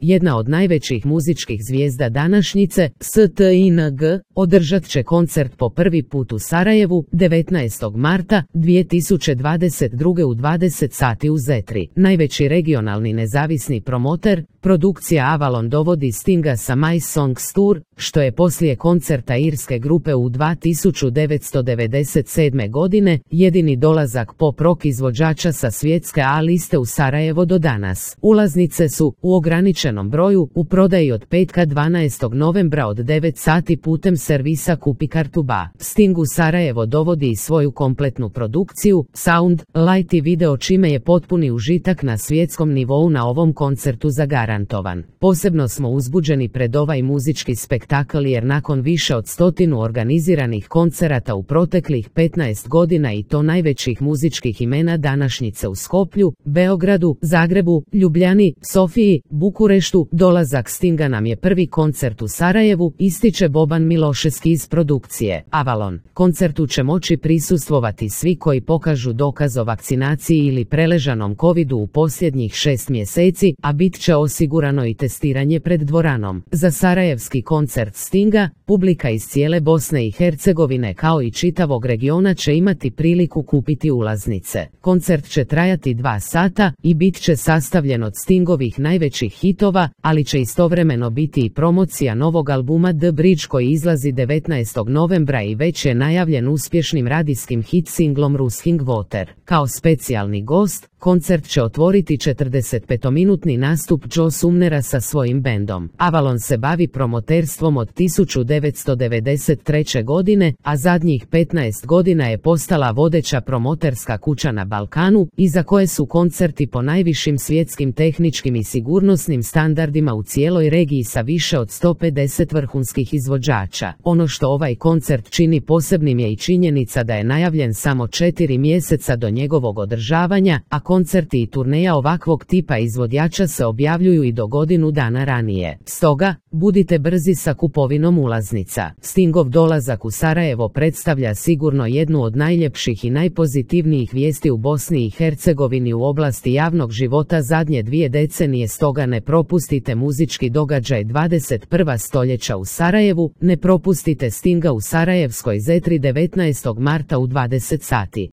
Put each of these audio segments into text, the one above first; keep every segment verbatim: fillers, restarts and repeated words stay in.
jedna od najvećih muzičkih zvijezda današnjice, Sting, održat će koncert po prvi put u Sarajevu devetnaestog marta dvije tisuće dvadeset druge u dvadeset sati u Zetri. Najveći regionalni nezavisni promoter, produkcija Avalon dovodi Stinga sa My Songs Tour, što je poslije koncerta irske grupe u tisuću devetsto devedeset sedme. godine jedini dolazak pop rock izvođača sa svjetske A liste u Sarajevo do danas. Ulaznice su u ograničenom broju u prodaji od petka dvanaestog novembra od devet sati putem servisa Kupi kartu ba. Sting u Sarajevo dovodi i svoju kompletnu produkciju, sound, light i video, čime je potpuni užitak na svjetskom nivou na ovom koncertu zagarantovan. Posebno smo uzbuđeni pred ovaj muzički spektakl jer nakon više od stotinu organiziranih koncerata u proteklih petnaest godina i to najvećih muzičkih imena današnjice u Skoplju, Beogradu, Zagrebu, Ljubljani, Sofiji, Bukureštu, dolazak Stinga nam je prvi koncert u Sarajevu, ističe Boban Miloševski iz produkcije Avalon. Koncertu će moći prisustvovati svi koji pokažu dokaz o vakcinaciji ili preležanom covidu u posljednjih šest mjeseci, a bit će osigurano i testiranje pred dvoranom. Za sarajevski koncert Stinga, publika iz cijele Bosne i Hercegovine kao i čitavog regiona će imati priliku kupiti ulaznice. Koncert će trajati dva sata i bit će sastavljen od Stingovih najvećih hitova, ali će istovremeno biti i promocija novog albuma The Bridge koji izlazi devetnaestog novembra i već je najavljen uspješnim radijskim hit singlom Rusking Water. Kao specijalni gost, koncert će otvoriti četrdesetpetominutni nastup Joe Sumnera sa svojim bendom. Avalon se bavi promoterstvom od tisuću devetsto devedeset treće. godine, a zadnjih petnaest godina je postala vodeća promoterska kuća na Balkanu, iza koje su koncerti po najvišim svjetskim tehničkim i sigurnosnim standardima u cijeloj regiji sa više od sto pedeset vrhunskih izvođača. Ono što ovaj koncert čini posebnim je i činjenica da je najavljen samo četiri mjeseca do njegovog održavanja, a koncerti i turneja ovakvog tipa izvođača se objavljuju i do godinu dana ranije. Stoga, budite brzi sa kupovinom ulaznica. Stingov dolazak u Sarajevo predstavlja sigurno jednu od najljepših i najpozitivnijih vijesti u Bosni i Hercegovini u oblasti javnog života zadnje dvije decenije, stoga ne propustite muzički događaj dvadeset prvog stoljeća u Sarajevu, ne propustite Stinga u Sarajevskoj Zetri devetnaestog marta u dvadeset sati.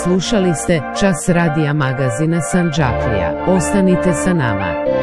Slušali ste Čas radija magazina Sandžaklija. Ostanite sa nama.